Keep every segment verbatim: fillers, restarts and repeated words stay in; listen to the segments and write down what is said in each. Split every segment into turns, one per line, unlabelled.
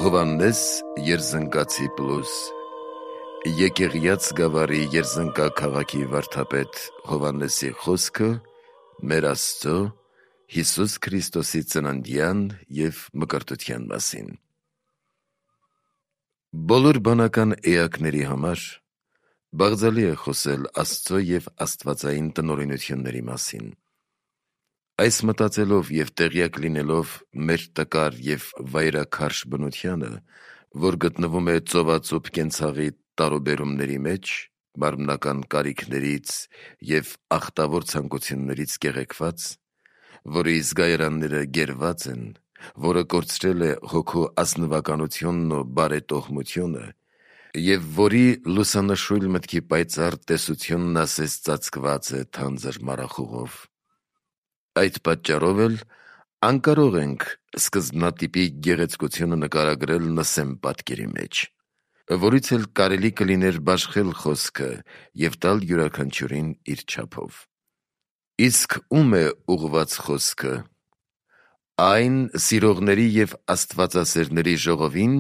Հովհաննես Երզնկացի պլուս Եկեղյաց գավառի Երզնկա քաղաքի վարդապետ Հովհաննեսի խոսքը մեր Աստծո Հիսուս Քրիստոսի ծննդյան և մկրտության մասին։ Բոլոր բանական էակների համար բաղձալի է խոսել Աստծո և աստվածային տնօրինությունների մասին։ Այս մտածելով և տեղյակ լինելով մեր տկար և վայրաքարշ բնությանը, որ գտնվում է ծովածուփ կենցաղի տարուբերումների մեջ, մարմնական կարիքներից և ախտավոր ցանկություններից կեղեքված, որի զգայարանները գերված են, որը կորցրել է հոգու ազնվականությունն ու բարետոհմությունը և որի լուսանշույլ մտքի պայծառ տեսությունն ասես ծածկված է թանձր մառախուղով։ Այդ պատճառով էլ անկարող ենք սկզբնատիպի գեղեցկությունը նկարագրել նսեմ պատկերի մեջ, որից էլ կարելի կլիներ բաշխել խոսքը և տալ յուրաքանչյուրին իր չափով։ Իսկ ում է ուղղված խոսքը։ Այն սիրողների և աստվածասերների ժողովին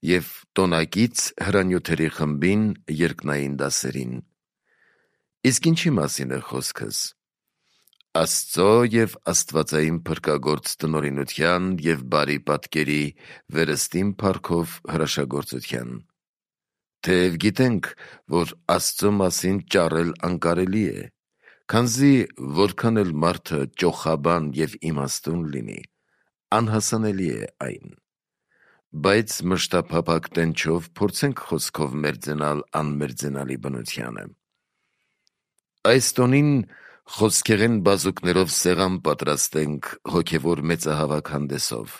և տոնակից հրանյութերի խմբին երկնային դասերին։ Իսկ ինչի մասին է խոսքս։ Աստծո և աստվածային փրկագործ տնօրինության և բարի պատկերի վերստին փառքով հրաշագործության։ Թեև գիտենք, որ Աստծո մասին ճառել անկարելի է, քանզի որքան էլ մարդը ճոխաբան և իմաստուն լինի, անհասանելի է այն։ Բայց մշտափափակ տենչով փորձենք խոսքով մերձենալ անմերձենալի բնությանը։ Այս տոնին խոսքեղեն բազուկներով սեղան պատրաստենք հոգևոր մեծահավաք հանդեսով։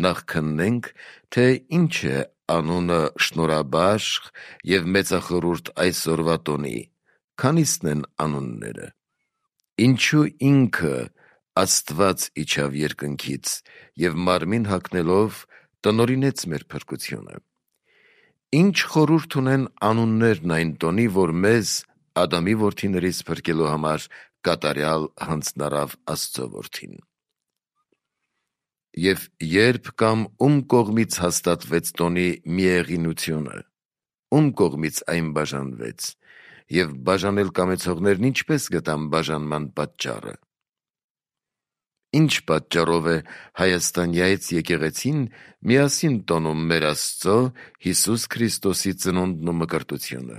Նախ քննենք, թե ինչ է անունը շնորհաբաշխ և մեծախորհուրդ այսօրվա տոնի, քանիսն են անունները։ Ինչու ինքը Աստված իջավ երկնքից և մարմին հագնելով տնօրինեց մեր փրկությունը։ Ինչ խորհուրդ ունեն անուններն այն տոնի, որ մեզ Ադամի որդիներից փրկելու համար կատարյալ հանձնարավ Աստծո որդին։ Եվ ե՞րբ կամ ում կողմից հաստատվեց տոնի միեղինությունը, ում կողմից այն բաժանվեց, և բաժանել կամեցողներն ինչպե՞ս գտան բաժանման պատճառը։ Ինչ պատճառով է Հայաստանյայց եկեղեցին միասին տոնում մեր Աստծո Հիսուս Քրիստոսի ծնունդն ու մկրտությունը։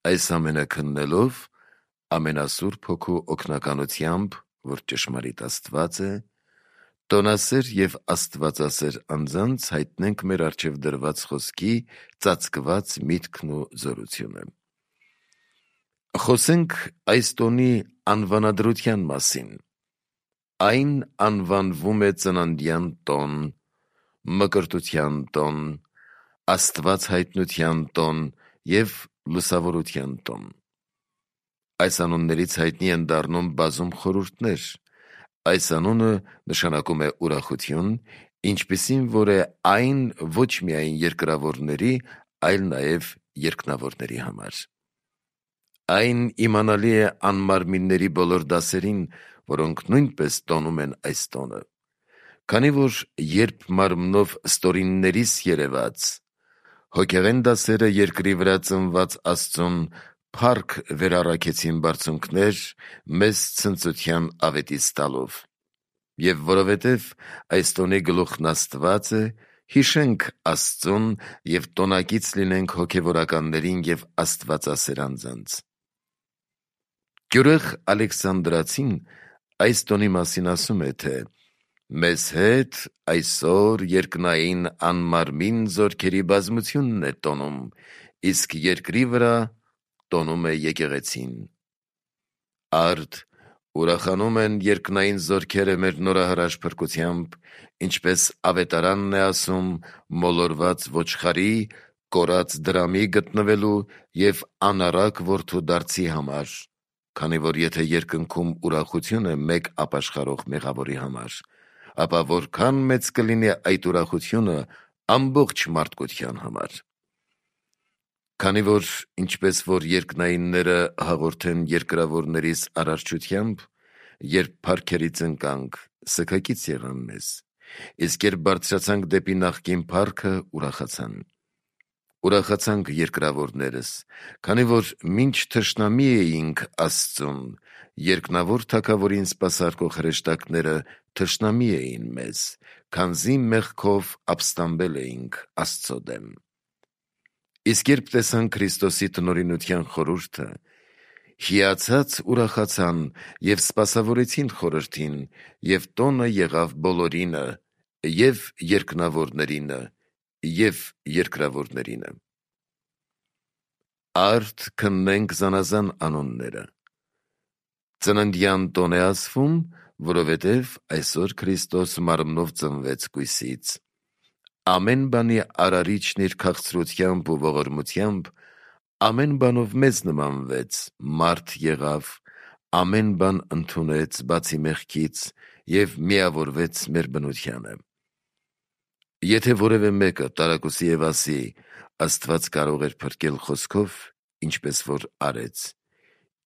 Այս ամենը քննելով ամենասուրբ Հոգու օգնականությամբ, որ ճշմարիտ Աստված է, տոնասեր և աստվածասեր անձանց հայտնենք մեր առջև դրված խոսքի ծածկված միտքն ու զորությունը։ Խոսենք այս տոնի անվանադրության մասին։ Այն անվանվում է ծննդյան տոն, մկրտության տոն, Աստված հայտնության տոն և լուսավորության տոն։ Այս անուններից հայտնի են դառնում բազում խորհուրդներ։ Այս անունը նշանակում է ուրախություն, ինչպիսին որ է այն ոչ միայն երկրավորների, այլ նաև երկնավորների համար։ Այն իմանալի է անմարմինների բոլոր դասերին, որոնք նույնպես տոնում են այս տոնը։ Քանի որ երբ մարմնով ստորիններիս երևաց, հոգեղեն դասերը երկրի վրա ծնված Աստծուն փառք վերառաքեցին բարձունքներ մեզ ցնծության ավետիս տալով։ Եվ որովհետև այս տոնի գլուխն Աստված է, հիշենք Աստծուն և տոնակից լինենք հոգևորականներին և աստվածասեր անձանց։ Գյուրեղ Ալեքսանդրացին այս տոնի մասին ասում է, թե «Մեզ հետ այսօր երկնային անմարմին զորքերի բազմությունն է տոնում, իսկ երկրի վրա տոնում է եկեղեցին։ Արդ ուրախանում են երկնային զորքերը մեր նորահրաշ փրկությամբ, ինչպես ավետարանն է ասում մոլորված ոչխարի, կորած դրամի գտնվելու և անառակ որդու դարձի համար, քանի որ եթե երկնքում ուրախություն է մեկ ապաշխարող մեղավորի համար, ապա որքան մեծ կլինի այդ ուրախությունը ամբողջ մարդկության համար։ Քանի որ ինչպես որ երկնայինները հաղորդեն երկրավորներիս արարչությամբ, երբ փառքերից ընկանք, սգակից եղան մեզ, Իսկ երբ բարձրացանք դեպի նախկին փառքը, ուրախացան։ Ուրախացանք երկրավորներս, քանի որ մինչ թշնամի էինք Աստծուն, երկնավոր թագավորին սպասարկող հրեշտակները թշնամի էին մեզ, քանզի մեղքով ապստամբել էինք Աստծո դեմ։ Իսկ երբ տեսան Քրիստոսի տնօրինության խորհուրդը, հիացած ուրախացան և սպասավորեցին խորհրդին, և տոնը եղավ բոլորինը, և երկնավորներինը, և երկրավորներինը։ Արդ քննենք զանազան անունները։ Ծննդյան տոն է ասվում, որովհետև այսօր Քրիստոս մարմնով ծնվեց կույսից։ Ամեն բանի արարիչն իր քաղցրությամբ ու ողորմությամբ ամեն բանով մեզ նմանվեց, մարդ եղավ, ամեն բան ընդունեց բացի մեղքից և միավորվեց մեր բնությանը։ Եթե որևէ մեկը տարակուսի և ասի, Աստված կարող էր փրկել խոսքով, ինչպես որ արեց,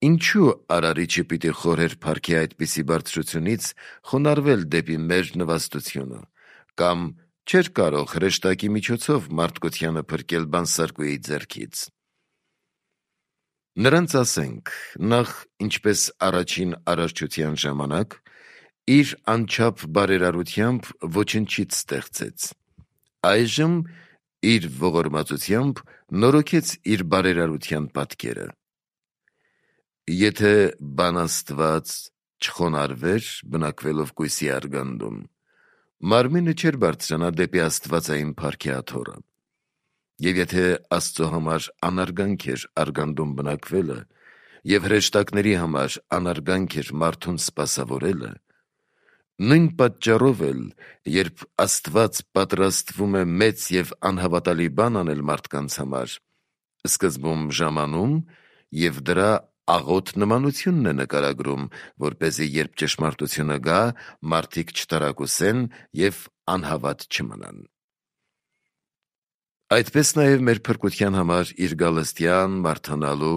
ինչու արարիչը պիտի խորհեր փառքի այդպիսի բարձրությունից խոնարհվել դեպի մեր նվաստությունը, կամ չէր կարող հրեշտակի միջոցով մարդկությանը փրկել բանսարկուի ձեռքից։ Նրանց ասենք, նախ ինչպես առաջին արարչության ժամանակ, իր անչափ բարերարությամբ ոչնչից ստեղծեց, այժմ իր ողորմածությամբ նորոգեց իր բարերարության պատկերը։ Եթե բան Աստված չխոնարհվեր բնակվելով կույսի արգանդում, մարմինը չէր բարձրանա դեպի աստվածային փառքի աթոռը։ Եվ եթե Աստծո համար անարգանք էր արգանդում բնակվելը, և հրեշտակների համար անարգանք էր մարդուն սպասավորելը, նույն պատճառով էլ, երբ Աստված պատրաստվում է մեծ և անհավատալի բան անել մարդկանց համար, սկզբում ժամանում և դրա աղոտ նմանությունն է նկարագրում, որպեսզի երբ ճշմարտությունը գա, մարդիկ չտարակուսեն և անհավատ չմնան։ Այդպես նաև մեր փրկության համար իր գալստյան, բարդանալու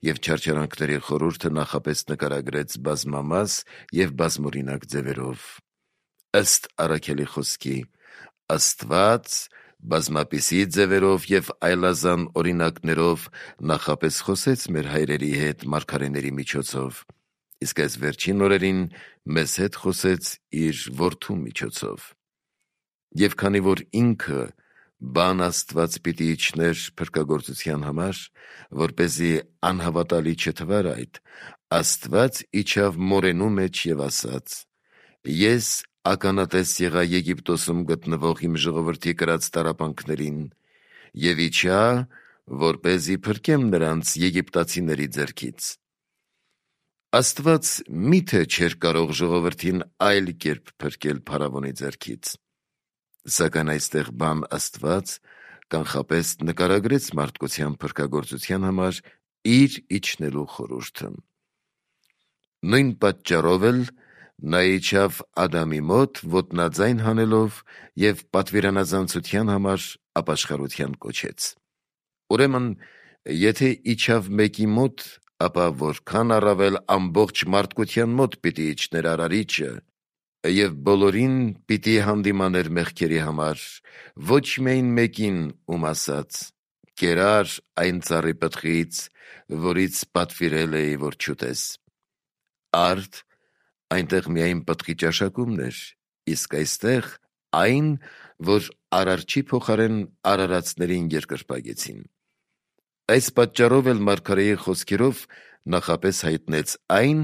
և չարչարանքների խորհուրդը նախապես նկարագրեց բազմամաս և բազմօրինակ ձևերով։ Ըստ Առաքելի խոսքի, Աստված բազմապիսի ձևերով և այլազան օրինակներով նախապես խոսեց մեր հայրերի հետ մարգարեների միջոցով, իսկ այս վերջին օրերին մեզ հետ խոսեց իր Որդու միջոցով։ Եվ քանի որ ինքը բան Աստված պիտի իջներ փրկagorցության համար, որպեսզի անհավատալի չթվար այդ, Աստված իջավ մորենու մեջ և ասաց. «Ես ականատես եղա Եգիպտոսում գտնվող իմ ժողովրդի կրած տառապանքներին և իջա, որպեսզի փրկեմ նրանց եգիպտացիների ձեռքից»։ Աստված մի՞թե չէր կարող ժողովրդին այլ կերպ փրկել փարավոնի ձեռքից։ Սակայն այստեղ բան Աստված կանխապես նկարագրեց մարդկության փրկagorցության համար իր իջնելու խորհուրդը։ Նույն պատճառով էլ նա իջավ Ադամի մոտ ոտնաձայն հանելով և պատվիրանազանցության համար ապաշխարության կոչեց։ Ուրեմն, եթե իջավ մեկի մոտ, ապա որքան առավել ամբողջ մարդկության մոտ պիտի իջներ Արարիչը և բոլորին պիտի հանդիմաներ մեղքերի համար, ոչ միայն մեկին, ում ասաց. «Կերար այն ծառի պտղից, որից պատվիրել էի, որ չուտես»։ Արդ այնտեղ միայն պտղի ճաշակումն էր, իսկ այստեղ այն, որ Արարչի փոխարեն արարածներին երկրպագեցին։ Այս պատճառով էլ մարգարեի խոսքերով նախապես հայտնեց այն,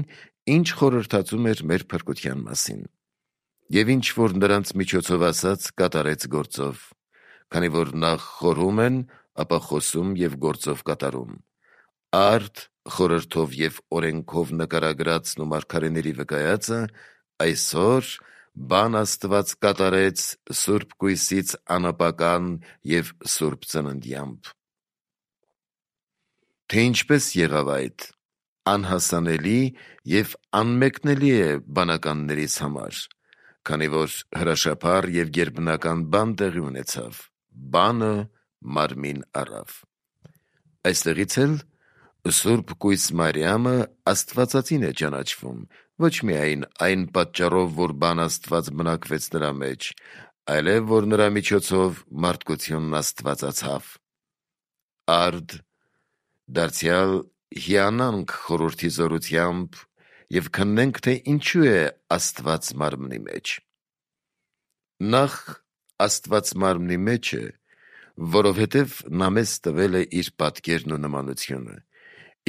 ինչ խորհրդածում էր մեր փրկության մասին։ Եվ ինչ որ նրանց միջոցով ասաց, կատարեց գործով, քանի որ նախ խորհում են, ապա խոսում և գործով կատարում։ Արդ խորհրդով և օրենքով նկարագրածն ու մարգարեների վկայածը այսօր բան Աստված կատարեց Սուրբ կույսից անապական և սուրբ ծննդյամբ։ Թե ինչպես եղավ այդ, անհասանելի և անմեկնելի է բանականներիս համար, քանի որ հրաշափառ և գերբնական բան տեղի ունեցավ, բանը մարմին առավ։ Այստեղից էլ Սուրբ կույս Մարիամը աստվածածին է ճանաչվում, ոչ միայն այն պատճառով, որ բան Աստված բնակվեց նրա մեջ, այլև որ նրա միջոցով մարդկությունն աստվածացավ։ Արդ դարձյալ հիանանք խորհրդի զորությամբ և քննենք, թե ինչու է Աստված մարմնի մեջ։ Նախ Աստված մարմնի մեջ է, որովհետև նա մեզ տվել է իր պատկերն ու նմանությունը,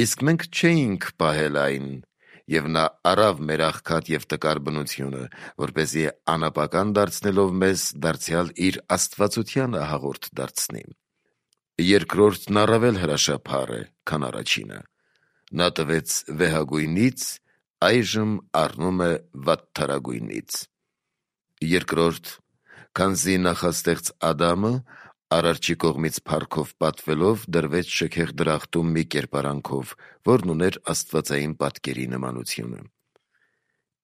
իսկ մենք չէինք պահել այն, և նա առավ մեր աղքատ և տկար բնությունը, որպեսզի անապական դարձնելով մեզ դարձյալ իր աստվածությանը հաղորդ դարձնի։ Երկրորդն առավել հրաշափառ է, քան առաջինը. նա տվեց վեհագույնից, այժմ առնում է վատթարագույնից։ Երկրորդ, քանզի նախաստեղծ Ադամը Արարչի կողմից փառքով պատվելով դրվեց շքեղ դրախտում մի կերպարանքով, որն ուներ աստվածային պատկերի նմանությունը։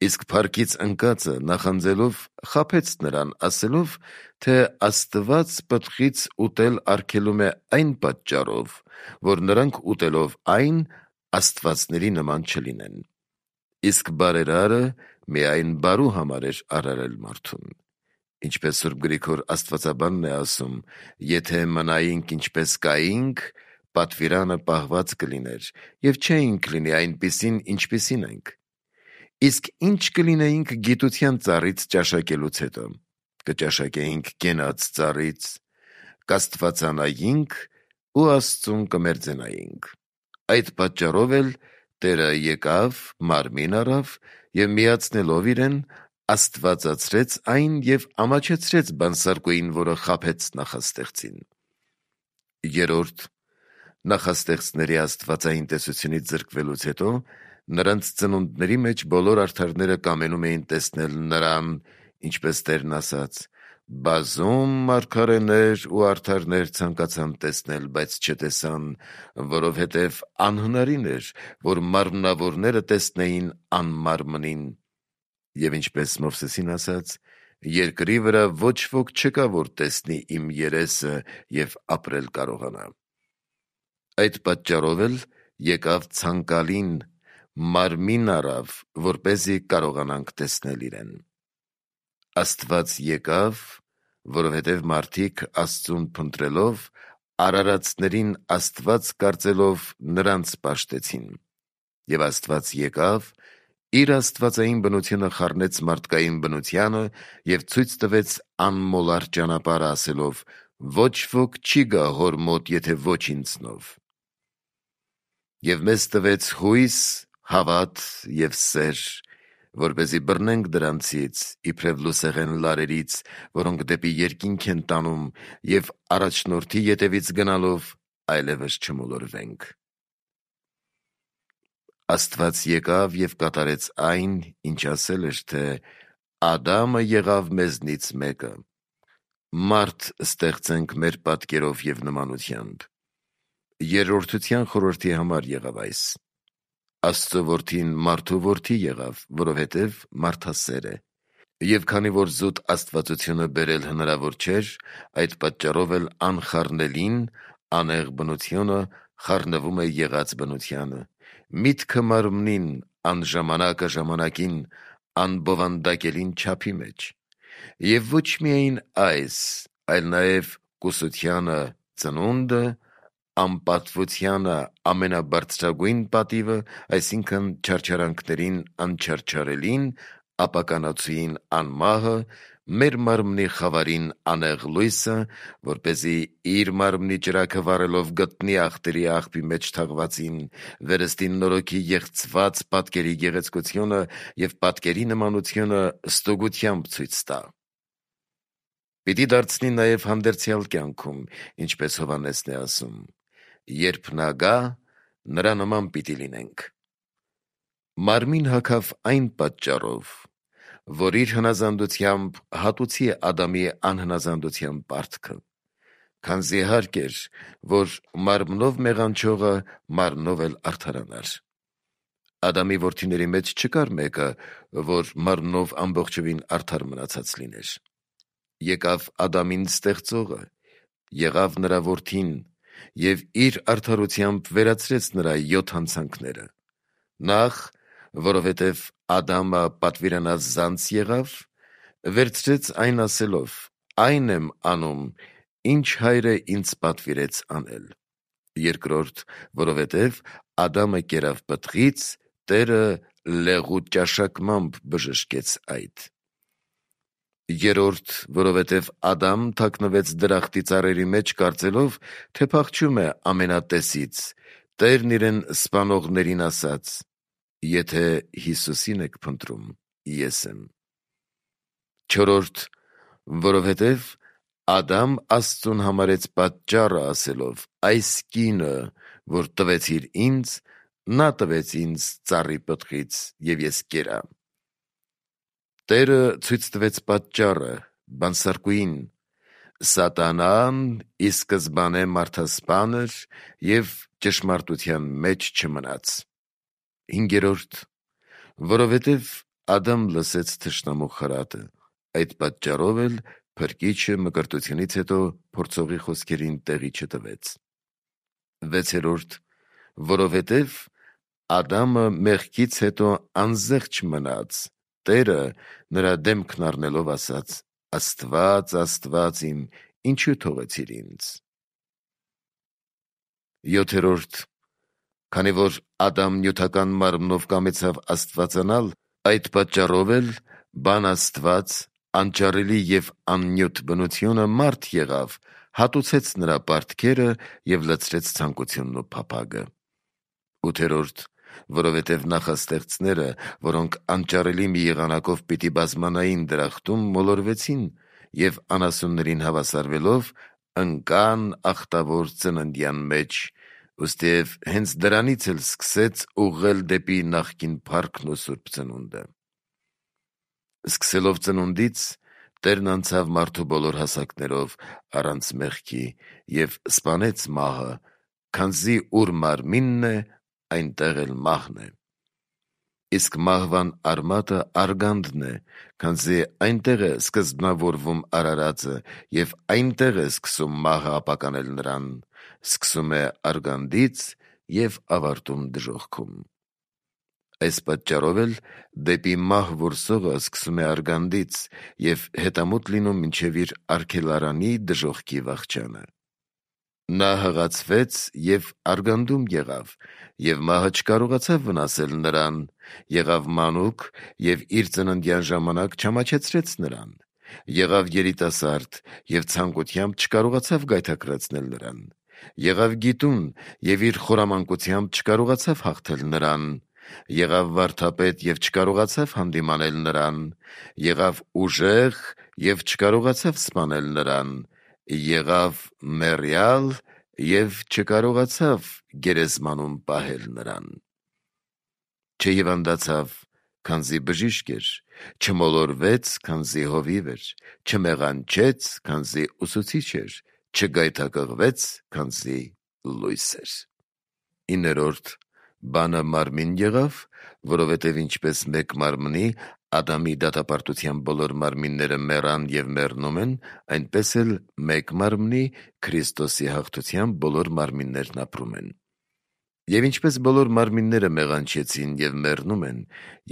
Իսկ փառքից ընկածը նախանձելով խաբեց նրան, ասելով, թե Աստված պտղից ուտել արգելում է այն պատճառով, որ նրանք ուտելով այն աստվածների նման չլինեն։ Իսկ բարերարը միայն բարու համար էր արարել մարդուն։ Ինչպես Սուրբ Գրիգոր Աստվածաբանն է ասում, եթե մնայինք ինչպես կայինք, պատվիրանը պահված կլիներ, և չէինք լինի այնպիսին, ինչպիսին ենք։ Իսկ ինչ կլինեինք գիտության ծառից ճաշակելուց հետո, կճաշակեինք կենաց ծառից, կաստվածանայինք ու Աստծուն կմերձենայինք։ Այդ պատճառով էլ Տերը եկավ, մարմին առավ և միացնելով իրեն, աստվածացրեց այն և ամաչեցրեց բանսարկուին, որը խաբեց նախաստեղծին։ Երորդ, նախաստեղծների աստվածային տեսությունից զրկվելուց հետո նրանց ծնունդների մեջ բոլոր արդարները կամենում էին տեսնել նրան, ինչպես Տերն ասաց. «Բազում մարգարեներ ու արդարներ ցանկացան տեսնել, բայց չտեսան, որովհետև անհնարին էր, որ մարմնավորները տեսնեին անմարմնին»։ Եվ ինչպես Մովսեսին ասաց. «Երկրի վրա ոչ ոք չկա, որ տեսնի իմ երեսը և ապրել կարողանա»։ Այդ պատճառով էլ եկավ ցանկալին, մարմին առավ, որպեսզի կարողանանք տեսնել իրեն։ Աստված եկավ, որովհետև մարդիկ Աստծուն փնտրելով, արարածներին Աստված կարծելով նրանց պաշտեցին։ Եվ Աստված եկավ, իր աստվածային բնությունը խառնեց մարդկային բնությանը և ցույց տվեց անմոլար ճանապարհը, ասելով. «Ոչ ոք չի գա Հոր մոտ, եթե ոչ ինձնով»։ Եվ մեզ տվեց հույս, հավատ և սեր, որպեսզի բռնենք դրանցից, իբրև լուսեղեն լարերից, որոնք դեպի երկինք են տանում, և առաջնորդի ետևից գնալով այլևս չմոլորվենք։ Աստված եկավ և կատարեց այն, ինչ ասել էր, թե «Ադամը եղավ մեզնից մեկը»։ Մարդ ստեղծենք մեր պատկերով և նմանությամբ։ Երրորդության խորհրդի համար եղավ այս։ Աստծո որդին մարդու որդի եղավ, որովհետև մարդասեր է։ Եվ քանի որ զուտ աստվածությունը բերել հնարավոր չէր, այդ պատճառով էլ անխառնելին, անեղ բնությունը խառնվում է եղած բնությանը, միտքը մարմնին, անժամանակը ժամանակին, անբովանդակելին չափի մեջ։ Եվ ոչ միայն այս, այլ նաև կուսությանը ծնունդը, անպատվությանը ամենաբարձրագույն պատիվը, այսինքն չարչարանքներին անչարչարելին, ապականացուին անմահը, մեր մարմնի խավարին անեղ լույսը, որպեսզի իր մարմնի ճրագը վառելով գտնի ախտերի աղբի մեջ թաղվածին, վերստին նորոգի եղծված պատկերի գեղեցկությունը և պատկերի նմանությունը ստուգությամբ ցույց տա։ Պիտի դարձնի նաև հանդերձյալ կյանքում, ինչպես Հովհաննեսն է ասում. «Երբ նա գա, նրա նման պիտի լինենք»։ Մարմին հագավ այն պատճառով, որ իր հնազանդությամբ հատուցի Ադամի անհնազանդության պարտքը, քանզի հարկ էր, որ մարմնով մեղանչողը մարմնով էլ արդարանար։ Ադամի որդիների մեջ չկար մեկը, որ մարմնով ամբողջովին արդար մնացած լիներ։ Եկավ Ադամին ստեղծողը, եղավ նրա որդին և իր արդարությամբ վերացրեց նրա յոթ հանցանքները։ Նախ, որովհետև Ադամը պատվիրանած զանց եղավ, վերցրեց այն ասելով. «Այն եմ անում, ինչ հայրը ինձ պատվիրեց անել»։ Երկրորդ, որովհետև Ադամը կերավ պտղից, Տերը լեղու ճաշակմամբ բժշկեց այդ։ Երորդ, որովհետև Ադամ թաքնվեց դրախտի ծառերի մեջ, կարծելով, թե փախչում է ամենատեսից, Տերն իրեն սպանողներին ասաց. «Եթե Հիսուսին եք փնտրում, ես եմ»։ Չորրորդ, որովհետև Ադամ Աստծուն համարեց պատճառը ասելով. «Այս կինը, որ տվեցիր ինձ, նա տվեց ինձ ծառի պտղից, և ես կերա»։ Տերը ցույց տվեց պատճառը բանսարկուին. Սատանան ի սկզբանե մարդասպան էր և ճշմարտության մեջ չմնաց։ Հինգերորդ, որովհետև Ադամ լսեց թշնամու խրատը, այդ պատճառով էլ Փրկիչը մկրտությունից հետո փորձողի խոսքերին տեղի չտվեց։ Վեցերորդ, որովհետև Ադամը մեղքից հետո անզեղչ մնաց, Տերը նրա դեմքն առնելով ասաց. «Աստված, Աստված իմ, ինչու թողեցիր ինձ»։ Յոթերորդ, քանի որ Ադամ նյութական մարմնով կամեցավ աստվածանալ, այդ պատճառով էլ բան Աստված, անճարելի և աննյութ բնությունը մարդ եղավ, հատուցեց նրա պարտքերը և լցրեց ցանկությունն ու փափագը։ Ութերորդ, որովհետև նախաստեղծները, որոնք անճարելի մի եղանակով պիտի բազմանային դրախտում, մոլորվեցին և անասուններին հավասարվելով ընկան ախտավոր ծննդյան մեջ, ուստիև հենց դրանից էլ սկսեց ուղղել դեպի նախկին փառքն ու սուրբ ծնունդը։ Սկսելով ծնունդից Տերն անցավ մարդու բոլոր հասակներով առանց մեղքի և սպանեց մահը, քանզի ուր մարմինն է, այնտեղ էլ մահն է։ Իսկ մահվան արմատը արգանդն է, քանզի այնտեղ է սկզբնավորվում արարածը և այնտեղ է սկսում մահը ապականել նրան, սկսում է արգանդից և ավարտում դժոխքում։ Այս պատճառով էլ դեպի մահ որսողը սկսում է արգանդից և հետամուտ լինում մինչև իր արգելարանի դժոխքի վախճանը։ Նա հղացվեց և արգանդում եղավ, և մահը չկարողացավ վնասել նրան, եղավ մանուկ և իր ծննդյան ժամանակ չամաչեցրեց նրան, եղավ երիտասարդ և ցանկությամբ չկարողացավ գայթակղեցնել նրան, եղավ գիտուն և իր խորամանկությամբ չկարողացավ հաղթել նրան, եղավ վարդապետ և չկարողացավ հանդիմանել նրան, եղավ ուժեղ և չկարողացավ սպանել նրան, եղավ մեռյալ և չկարողացավ գերեզմանում պահել նրան։ Չհիվանդացավ, քանզի բժիշկ էր, չմոլորվեց, քանզի հովիվ էր, չմեղանչեց, քանզի ուսուցիչ էր, չգայթակղվեց, քանզի լույս էր։ Իններորդ, բանը մարմին եղավ, որովհետև ինչպես մեկ մարմնի Ադամի դատապարտության բոլոր մարմինները մեռան և մեռնում են, այնպես էլ մեկ մարմնի Քրիստոսի հաղթությամբ բոլոր մարմիններն ապրում են։ Եվ ինչպես բոլոր մարմինները մեղանչեցին և մեռնում են,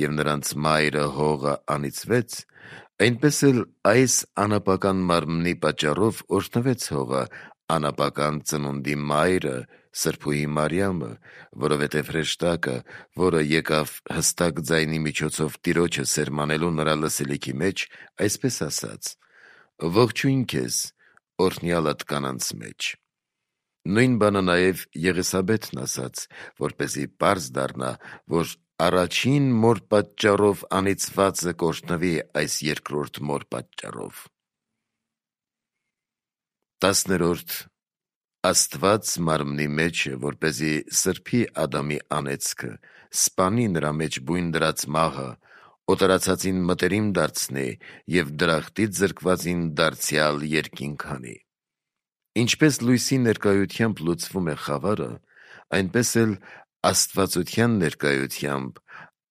և նրանց մայրը հողը անիծվեց, այնպես էլ այս անապական մարմնի պատճառով օրհնվեց հողը, անապական ծնունդի մայրը, Սրբուհի Մարիամը, որովհետև հրեշտակը, որը եկավ հստակ ձայնի միջոցով Տիրոջը սերմանելու նրա լսելիքի մեջ, այսպես ասաց. «Ողջույն քեզ, օրհնյալդ կանանց մեջ»։ Նույն բանը նաև Եղիսաբեթն ասաց, որպեսզի պարզ դառնա, որ առաջին մոր պատճառով անիծվածը կօրհնվի այս երկրորդ մոր պատճառով։ Տասներորդ. Աստված մարմնի մեջ է, որպեսզի սրբի Ադամի անեծքը, սպանի նրա մեջ բույն դրած մահը, օտարացածին մտերիմ դարձնի և դրախտից զրկվածին դարձյալ երկինք հանի։ Ինչպես լույսի ներկայությամբ լուծվում է խավարը, այնպես էլ աստվածության ներկայությամբ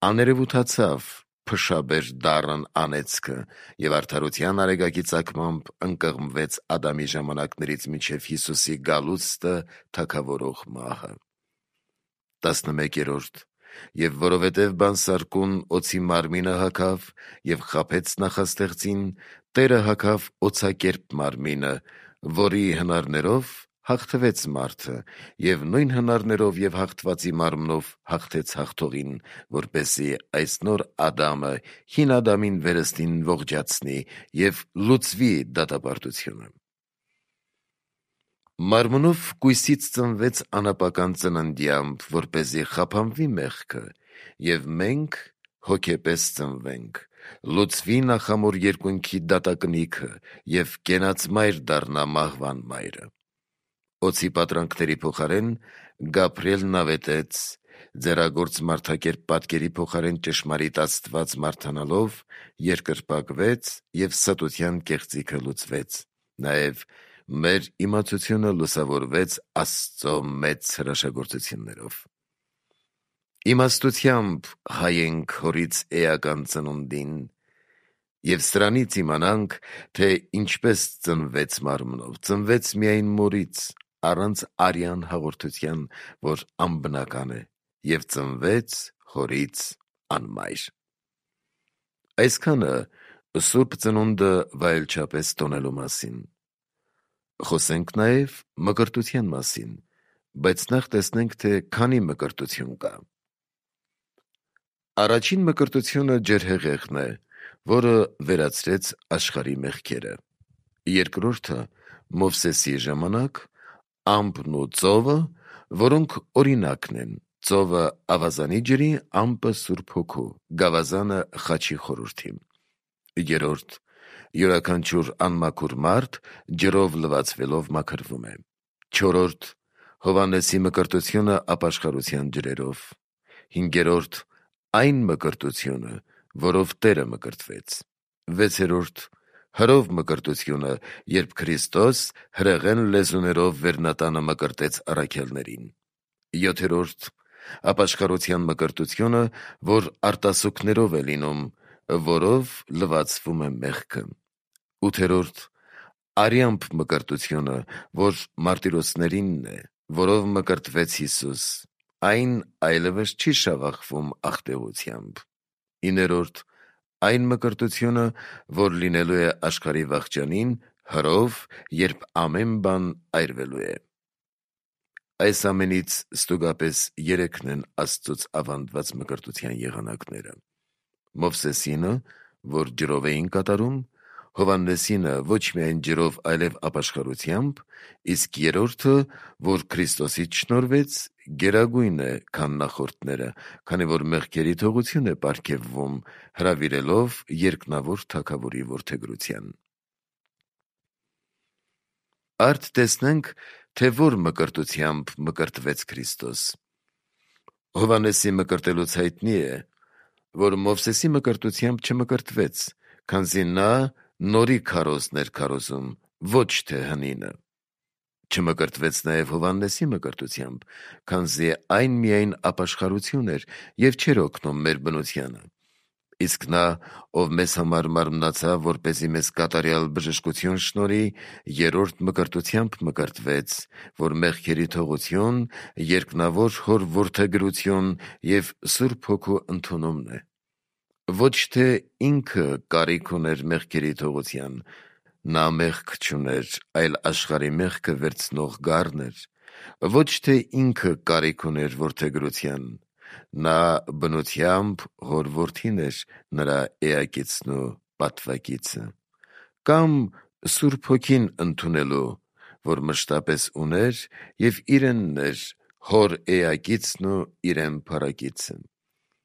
աներևութացավ փշաբեր դառն անեծքը և արդարության արեգակի ծագմամբ ընկղմվեց Ադամի ժամանակներից մինչև Հիսուսի գալուստը թագավորող մահը։ Տասնմեկերորդ. եւ որովհետեւ բանսարկուն օծի մարմինը հագավ եւ խաբեց նախաստեղծին, Տերը հագավ օծակերպ մարմինը, որի հնարներով հաղթվեց մարդը, եւ նույն հնարներով եւ հաղթվածի մարմնով հաղթեց հաղթողին, որպեսզի այս նոր Ադամը հին Ադամին վերստին ողջացնի եւ լուծվի դատապարտությունը։ Մարմնով կույսից ծնվեց անապական ծննդյամբ, որպեսզի խափանվի մեղքը, եւ մենք հոգեպես ծնվենք, լուծվի նախամոր երկունքի դատակնիքը եւ կենաց մայր դառնա մահվան մայրը։ Օծի պատրանքների փոխարեն Գաբրիելն ավետեց, ձեռագործ մարդակերպ պատկերի փոխարեն ճշմարիտ Աստված մարդանալով երկրպագվեց եւ ստության կեղծիքը լուծվեց, նաեւ մեր իմացությունը լուսավորվեց Աստծո մեծ հրաշագործություններով։ Իմաստությամբ հայենք հորից էական ծնունդին, եւ սրանից իմանանք, թե ինչպես ծնվեց մարմնով, ծնվեց միայն մորից, առանց արյան հաղորդության, որ անբնական է, եւ ծնվեց հորից անմայր։ Այսքանը Սուրբ ծնունդը վայելչապես տոնելու մասին։ Խոսենք նաեւ մկրտության մասին, բայց նախ տեսնենք, թե քանի մկրտություն կա։ Առաջին մկրտությունը ջրհեղեղն է, որը վերացրեց աշխարհի մեղքերը։ Երկրորդը Մովսեսի ժամանակ ամպն ու ծովը, որոնք օրինակն են, ծովը ավազանի ջրի, ամպը Սուրբ Հոգու, գավազանը խաչի խորհրդի։ Երրորդ յուրաքանչյուր անմաքուր մարդ ջրով լվացվելով մաքրվում է։ Չորրորդ Հովհաննեսի մկրտությունը ապաշխարության ջրերով։ Հինգերորդ այն մկրտությունը, որով Տերը մկրտվեց։ Վեցերորդ հրով մկրտությունը, երբ Քրիստոս հրեղեն լեզուներով վերնատանը մկրտեց առաքյալներին։ Յոթերորդ ապաշխարության մկրտությունը, որ արտասուքներով է լինում, որով լվացվում է մեղքը։ Ութերորդ արյամբ մկրտությունը, որ մարտիրոսներինն է, որով մկրտվեց Հիսուս, այն այլևս չի շավախվում աղտեղությամբ։ Իներորդ այն մկրտությունը, որ լինելու է աշխարհի վախճանին, հրով, երբ ամեն բան այրվելու է։ Այս ամենից ստուգապես երեքն են Աստծուց ավանդված մկրտության եղանակները։ Մովսեսինը, որ ջրով էին կատարում, Հովհաննեսինը ոչ միայն ջրով, այլև ապաշխարությամբ, իսկ երրորդը, որ Քրիստոսից շնորհվեց, գերագույն է, քան նախորդները, քանի որ մեղքերի թողություն է պարգևվում, հրավիրելով երկնավոր Թագավորի որդեգրության։ Արդ տեսնենք, թե որ մկրտությամբ մկրտվեց Քրիստոս։ Հովհաննեսի մկրտելուց հայտնի է, որ Մովսեսի մկրտությամբ չմկրտվեց, քանզի նա նորի քարոզն էր քարոզում, ոչ թե հնինը։ Չմկրտվեց նաև Հովհաննեսի մկրտությամբ, քանզի այն միայն ապաշխարություն էր եւ չէր օգնում մեր բնությանը։ Իսկ նա, ով մեզ համար մարմնացավ, որպեսզի մեզ կատարյալ բժշկություն շնորհի, երրորդ մկրտությամբ մկրտվեց, որ մեղքերի թողություն, երկնավոր Հոր որդեգրություն եւ Սուրբ Հոգու ընդունումն է։ Ոչ թե ինքը կարիք ուներ մեղքերի թողության, նա մեղք չուներ, այլ աշխարհի մեղքը վերցնող գառն էր։ Ոչ թե ինքը կարիք ուներ որդեգրության, նա բնությամբ Հոր որդին էր, նրա էակիցն ու պատվակիցը, կամ Սուրբ Հոգին ընդունելու, որ մշտապես ուներ եւ իրենն էր Հոր էակիցն ու իրեն փառակիցը։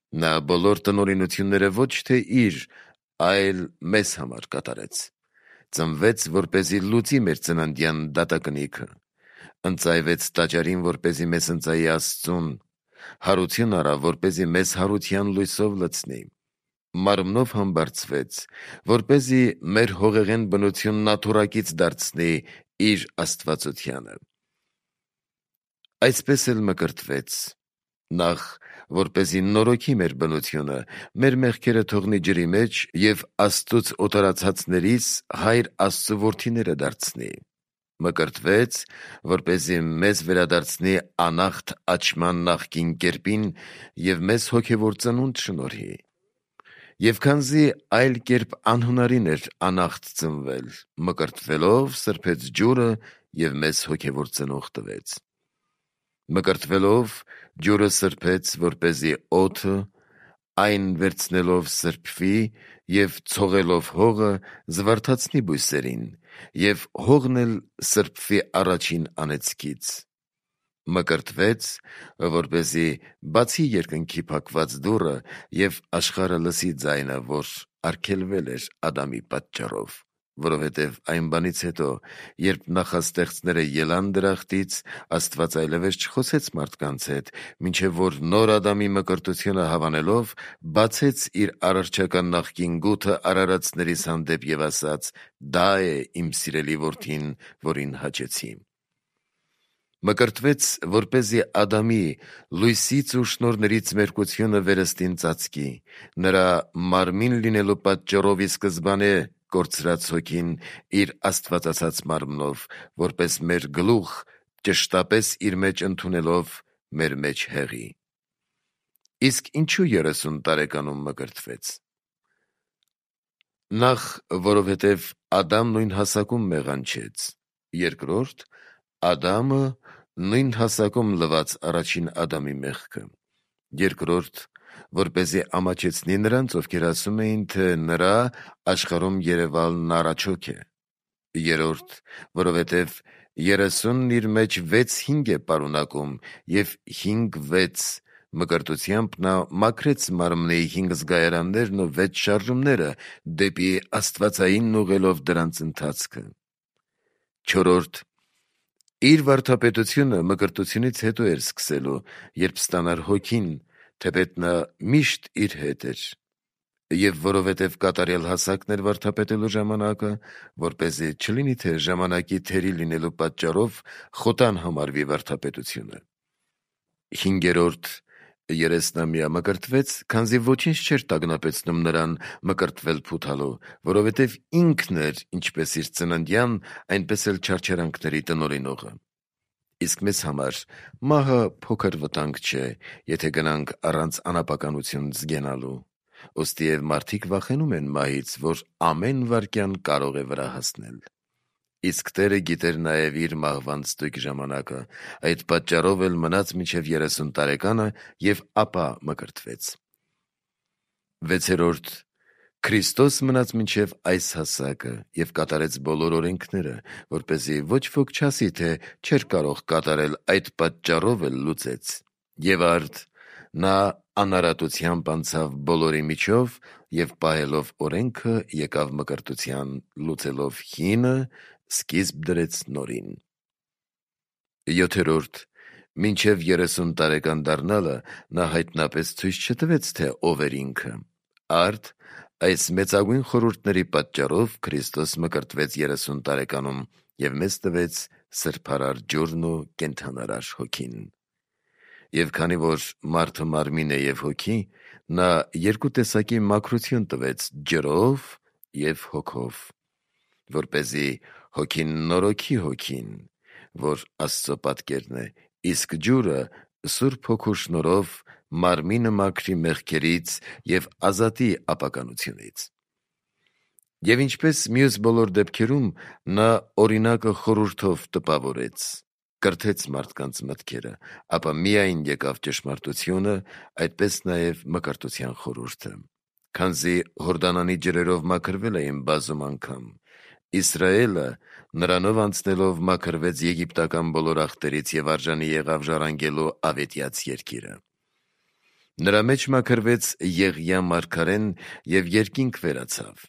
Նա բոլոր տնօրինությունները ոչ թե իր, այլ մեզ համար կատարեց։ Ծնվեց, որպեսզի լուծի մեր ծննդյան դատակնիքը, ընծայվեց տաճարին, որպեսզի մեզ ընծայի Աստծուն, հարություն առավ, որպեսզի մեզ հարության լույսով լցնի, մարմնով համբարձվեց, որպեսզի մեր հողեղեն բնությունն աթոռակից դարձնի իր աստվածությանը։ Այսպես էլ մկրտվեց, նախ որպեսզի նորոգի մեր բնությունը, մեր մեղքերը թողնի ջրի մեջ եւ Աստծուց օտարացածներից Հայր Աստծո որդիները դարձնի։ մկրտվեց, որպեսզի մեզ վերադարձնի անախտ աչման նախկին կերպին և մեզ հոգևոր ծնունդ շնորհի։ Եվ քանզի այլ կերպ անհնարին էր անախտ ծնվել, մկրտվելով սրբեց ջուրը և մեզ հոգևոր ծնող տվեց։ Մկրտվելով ջուրը սրբեց, որպեսզի օդը այն վերցնելով սրբվի և ցողելով հողը զվարթացնի բույսերին, և հողն էլ սրբվի առաջին անեծքից։ Մկրտվեց, որպեսզի բացի երկնքի փակված դուռը և աշխարհը լսի ձայնը, որ արգելվել էր Ադամի պատճառով, որովհետև այն բանից հետո, երբ նախաստեղծները ելան դրախտից, Աստված այլևս չխոսեց մարդկանց հետ, մինչև որ նոր Ադամի մկրտությունը հավանելով, բացեց իր արարչական նախկին գութը արարածներիս հանդեպ և ասաց. «Դա է իմ սիրելի որդին, որին հաճեցի»։ Մկրտվեց, որպեսզի Ադամի լույսից ու շնորհներից մերկությունը վերստին ծածկի, նրա մարմին լինելու պատճառով ի սկզբանե կորցրած հոգին իր աստվածացած մարմնով, որպես մեր գլուխ, ճշտապես իր մեջ ընդունելով մեր մեջ հեղի։ Իսկ ինչու երեսուն տարեկանում մկրտվեց։ Նախ, որովհետև Ադամն նույն հասակում մեղանչեց, երկրորդ, Ադամը նույն հասակում լվաց առաջին Ադամի մեղքը, երկրորդ, որպեսզի ամաչեցնի նրանց, ովքեր ասում էին, թե նրա աշխարհում երևալն առաջոք է, երրորդ, որովհետև երեսունն իր մեջ վեց հինգ է պարունակում, և հինգ վեց մկրտությամբ նա մաքրեց մարմնի հինգ զգայարաններն ու վեց շարժումները, դեպի աստվածայինն ուղղելով դրանց ընթացքը, չորրորդ, իր վարդապետությունը մկրտությունից հետո էր սկսելու, երբ ստանար հոգին, թեպետ նա միշտ իր հետ էր, և որովհետև կատարյալ հասակն էր վարդապետելու ժամանակը, որպեսզի չլինի, թե ժամանակի թերի լինելու պատճառով խոտան համարվի վարդապետությունը, հինգերորդ, երեսնամյա մկրտվեց, քանզի ոչինչ չէր տագնապեցնում նրան մկրտվել փութալու, որովհետև ինքն էր ինչպես իր ծննդյան, այնպես էլ չարչարանքների տնօրինողը։ Իսկ մեզ համար մահը փոքր վտանգ չէ, եթե գնանք առանց անապականություն զգենալու, ուստիև մարդիկ վախենում են մահից, որ ամեն վայրկյան կարող է վրա հասնել։ Իսկ Տերը գիտեր նաև իր մահվան ստույգ ժամանակը, այդ պատճառով էլ մնաց մինչև երեսուն տարեկանը և ապա մկրտվեց։ վեցերորդ, Քրիստոս մնաց մինչև այս հասակը և կատարեց բոլոր օրենքները, որպեսզի ոչ ոք չասի, թե չէր կարող կատարել, այդ պատճառով էլ լուծեց, և արդ նա անարատությամբ անցավ բոլորի միջով և պահելով օրենքը եկավ մկրտության, լուծելով հինը, սկիզբ դրեց նորին։ յոթերորդ, մինչև երեսուն տարեկան դառնալը նա հայտնապես ցույց չտվեց, թե ով էր ինքը, արդ այս մեծագույն խորհուրդների պատճառով Քրիստոս մկրտվեց երեսուն տարեկանում և մեզ տվեց սրբարար ջուրն ու կենդանարար հոգին։ Եվ քանի որ մարդը մարմին է և հոգի, նա երկու տեսակի մաքրություն տվեց ջրով և հոգով, որպեսզի հոգին նորոգի հոգին, որ Աստծո պատկերն է, իսկ ջուրը Սուրբ Հոգու շնորհով մարմինը մաքրի մեղքերից և ազատի ապականությունից։ Եվ ինչպես մյուս բոլոր դեպքերում, նա օրինակը խորհուրդով տպավորեց, կրթեց մարդկանց մտքերը, ապա միայն եկավ ճշմարտությունը, այդպես նաև մկրտության խորհուրդը, քանզի Հորդանանի ջրերով մաքրվել էին բազում անգամ, Իսրայելը նրանով անցնելով մաքրվեց եգիպտական բոլոր ախտերից և արժանի եղավ ժառանգելու ավետյաց երկիրը։ Նրա մեջ մաքրվեց Եղիա մարգարեն և երկինք վերացավ,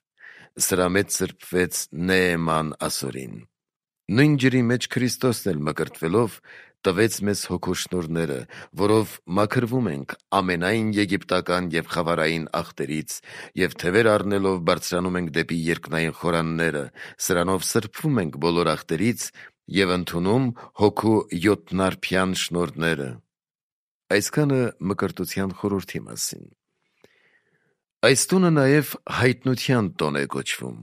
սրա մեջ սրբվեց Նեեման ասորին։ Նույն ջրի մեջ Քրիստոսն էլ մկրտվելով տվեց մեզ հոգու շնորհները, որով մաքրվում ենք ամենայն եգիպտական և խավարային ախտերից և թևեր առնելով բարձրանում ենք դեպի երկնային խորանները, սրանով սրբվում ենք բոլոր ախտերից և ընդունում հոգու յոթնարբյան շնորհները։ Այսքանը մկրտության խորհրդի մասին։ Այս տոնը նաև հայտնության տոն է կոչվում։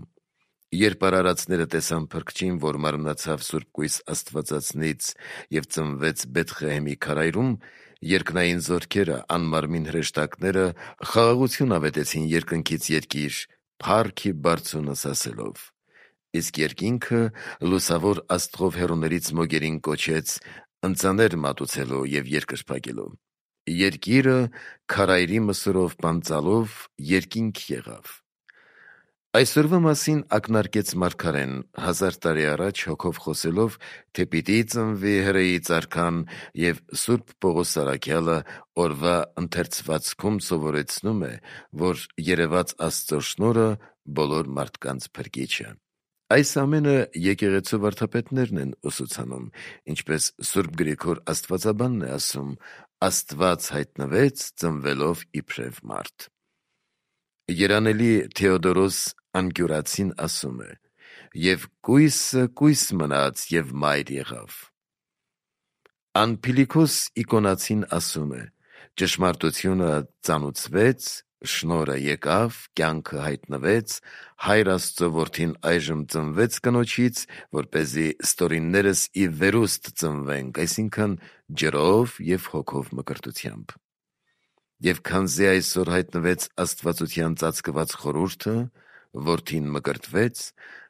Երբ արարածները տեսան փրկչին, որ մարմնացավ Սուրբ Կույս Աստվածածնից և ծնվեց Բեթղեհեմի քարայրում, երկնային զորքերը, անմարմին հրեշտակները խաղաղություն ավետեցին երկնքից երկիր, փառքի բարձունս ասելով. իսկ երկինքը լուսավոր աստղով հեռուներից մոգերին կոչեց ընծաներ մատուցելու և երկրպագելու: Երկիրը քարայրի մսուրով պանծալով երկինք եղավ: Այսօրվա մասին ակնարկեց մարգարեն, հազար տարի առաջ հոգով խոսելով, թե պիտի ծնվի հրեից արքան, և Սուրբ Պողոս առաքյալը օրվա ընթերցվածքում սովորեցնում է, որ երեված Աստծո շնորհը բոլոր մարդկանց փրկիչ է: Այս ամենը եկեղեցու վարդապետներն են ուսուցանում, ինչպես Սուրբ Գրիգոր Աստվածաբանն է ասում. Աստված հայտնվեց ծնվելով իբրև մարդ: Երանելի Թեոդորոս Անկյուրացին ասում է. «Եվ կույսը կույս մնաց և մայր եղավ»: Անփիլիքոս Իկոնացին ասում է. «Ճշմարտությունը ծանուցվեց, շնորհը եկավ, կյանքը հայտնվեց, Հայր Աստծո Որդին այժմ ծնվեց կնոջից, որպեսզի ստորիններս ի վերուստ ծնվենք, այսինքն ջրով և հոգով մկրտությամբ: Եվ քանզի այսօր հայտնվեց աստվածության ծածկված խորհուրդը, Որդին մկրտվեց,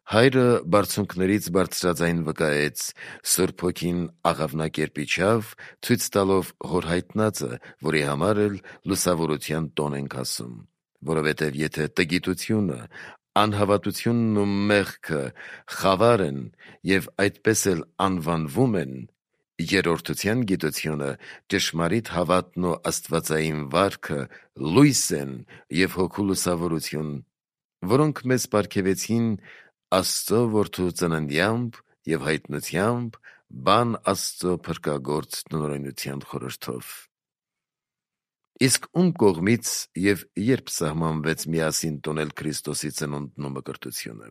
Հայրը բարձունքներից բարձրաձայն վկայեց, Սուրբ Հոգին աղավնակերպ իջավ, ցույց տալով հոր հայտնածը, որի համար էլ լուսավորության տոն ենք ասում: Որովհետև եթե տգիտությունը, անհավատությունն ու մեղքը խավար են և այդպես էլ անվանվում են, երրորդության գիտությունը, ճշմարիտ հավատն ու աստվածային վարքը լույս են և հոգու լուսավորություն, որոնք մեզ պարգևեցին Աստծո Որդու ծննդյամբ և հայտնությամբ, բան Աստծո փրկագործ տնօրինության խորհրդով»: Իսկ ում կողմից և երբ սահմանվեց միասին տոնել Քրիստոսի ծնունդն ու մկրտությունը: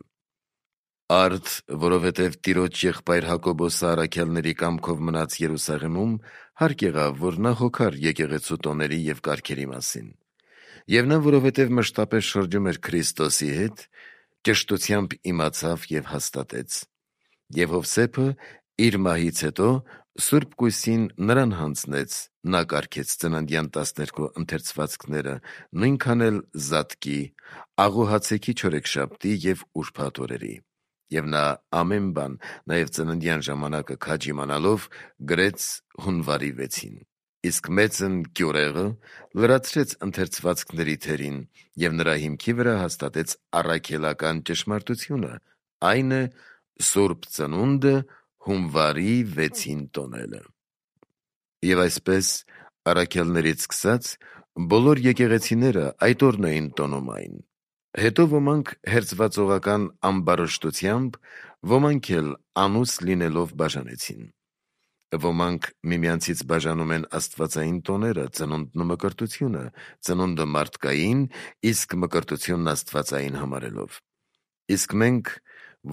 Արդ որովհետև տիրոջ եղբայր Հակոբոսը առաքյալների կամքով մնաց Երուսաղեմում, հարկ եղավ, որ նա հոգար եկեղեցու տոների և կարգերի մասին: Եվ նա որովհետև մշտապես շրջում էր Քրիստոսի հետ, ճշտությամբ իմացավ և հաստատեց: Եվ Հովսեփը իր մահից հետո Սուրբ Կույսին նրան հանձնեց, նա կարգեց ծննդյան տասներկու ընթերցվածքները, նույնքան էլ Զատկի, Աղուհացեքի չորեքշաբթի և ուրբաթ օրերի: Եվ նա ամեն բան, նաև ծննդյան ժամանակը քաջ իմանալով, գրեց հունվարի վեցին: Իսկ մեծն Կյուրեղը լրացրեց ընթերցվածքների թերին և նրա հիմքի վրա հաստատեց առաքելական ճշմարտությունը, այն է Սուրբ Ծնունդը հունվարի վեցին տոնելը: Եվ այսպես առաքյալներից սկսած բոլոր եկեղեցիները այդ օրն էին տոնում այն: Հետո ոմանք հերձվածողական ամբարշտությամբ, ոմանք էլ անուս լինելով բաժանեցին: Ոմանք միմյանցից բաժանում են աստվածային տոները, ծնունդն ու մկրտությունը, ծնունդը մարդկային, իսկ մկրտությունն աստվածային համարելով: Իսկ մենք,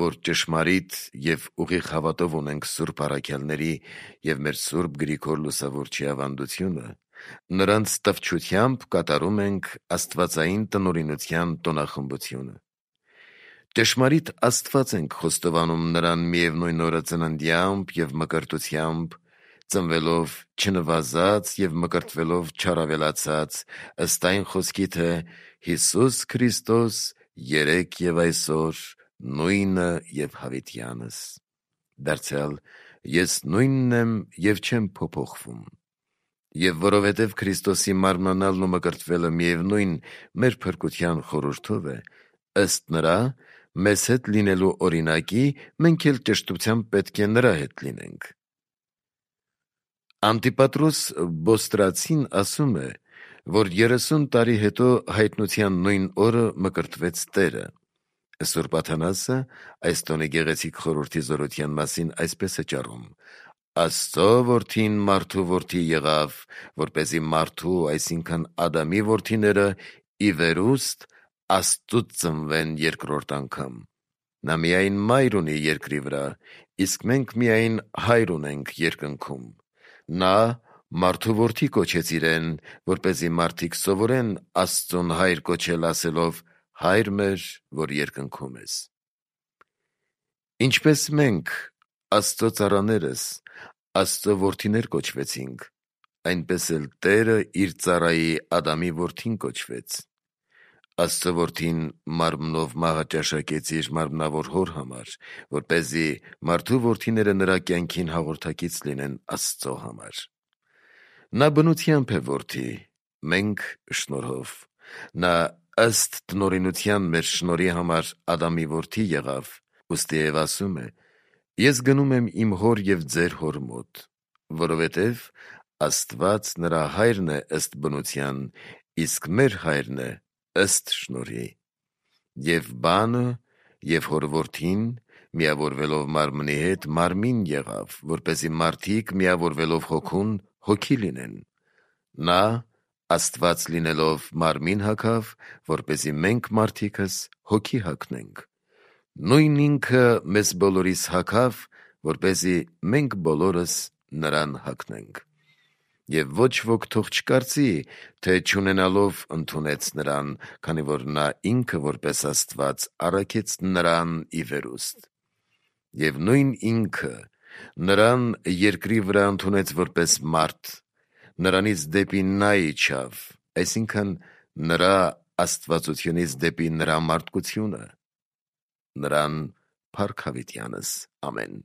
որ ճշմարիտ և ուղիղ հավատով ունենք սուրբ առաքյալների և մեր Սուրբ Գրիգոր Լուսավորչի ավանդությունը, նրանց տվչությամբ կատարում ենք աստվածային տնօրինության տոնախմբությունը: Ճշմարիտ Աստված ենք խոստովանում նրան միևնույն օրը ծննդյամբ և մկրտությամբ, ծնվելով չնվազած և մկրտվելով չառավելացած, ըստ այն խոսքի, թե «Հիսուս Քրիստոս երեկ և այսօր նույնը և հավիտյանս»: Դարձյալ «Ես նույնն եմ և չեմ փոփոխվում»: Եվ որովհետև Քրիստոսի մարմնանալն ու մկրտվելը միևնույն մեր փրկության խորհուրդով է, ըստ նրա մեզ հետ լինելու օրինակի, մենք էլ ճշտությամբ պետք է նրա հետ լինենք: Անտիպատրոս Բոստրացին ասում է, որ երեսուն տարի հետո հայտնության նույն օրը մկրտվեց Տերը: Սուրբ Աթանասը այս տոնի գեղեցիկ խորհրդի զորության մասին այսպես է ճառում. «Աստծո Որդին մարդու որդի եղավ, որպեսզի մարդու, այսինքն Ադամի որդիները ի վերուստ Աստծուց ծնվեն երկրորդ անգամ: Նա միայն մայր ունի երկրի վրա, իսկ մենք միայն հայր ունենք երկնքում: Նա մարդու որդի կոչեց իրեն, որպեսզի մարդիկ սովորեն Աստծուն հայր կոչել ասելով. «Հայր մեր, որ երկնքում ես»: Ինչպես մենք Աստծո ծառաներս Աստծո որդիներ կոչվեցինք, այնպես էլ Տերը իր ծառայի Ադամի որդին կոչվեց։ Աստծո որդին մարմնով մահը ճաշակեց իր մարմնավոր հոր համար, որպեսզի մարդու որդիները նրա կյանքին հաղորդակից լինեն Աստծո համար։ Նա բնությամբ է որդի, մենք շնորհով։ Նա ըստ տնօրինության մեր շնորհի համար Ադամի որդի եղավ, ուստի և ասում է. «Ես գնում եմ իմ հոր և ձեր հոր մոտ», որովհետև Աստված նրա հայրն է ըստ բնության, իսկ մեր հայրն է ըստ շնորհի։ Եվ բանը և հոր որդին միավորվելով մարմնի հետ մարմին եղավ, որպեսզի մարդիկ միավորվելով հոգուն հոգի լինեն։ Նա Աստված լինելով մարմին հագավ, որպեսզի մենք մարդիկս հոգի հագնենք։ Նույն ինքը մեզ բոլորիս հագավ, որպեսզի մենք բոլորս նրան հագնենք։ Եվ ոչ ոք թող չկարծի, թե չունենալով ընդունեց նրան, քանի որ նա ինքը որպես Աստված առաքեց նրան ի վերուստ։ Եվ նույն ինքը նրան երկրի վրա ընդունեց որպես մարդ, նրանից դեպի նա իջավ, այսինքն նրա աստվածությունից դեպի նրա մարդկությունը։ Նրան փառք հավիտյանս, ամեն։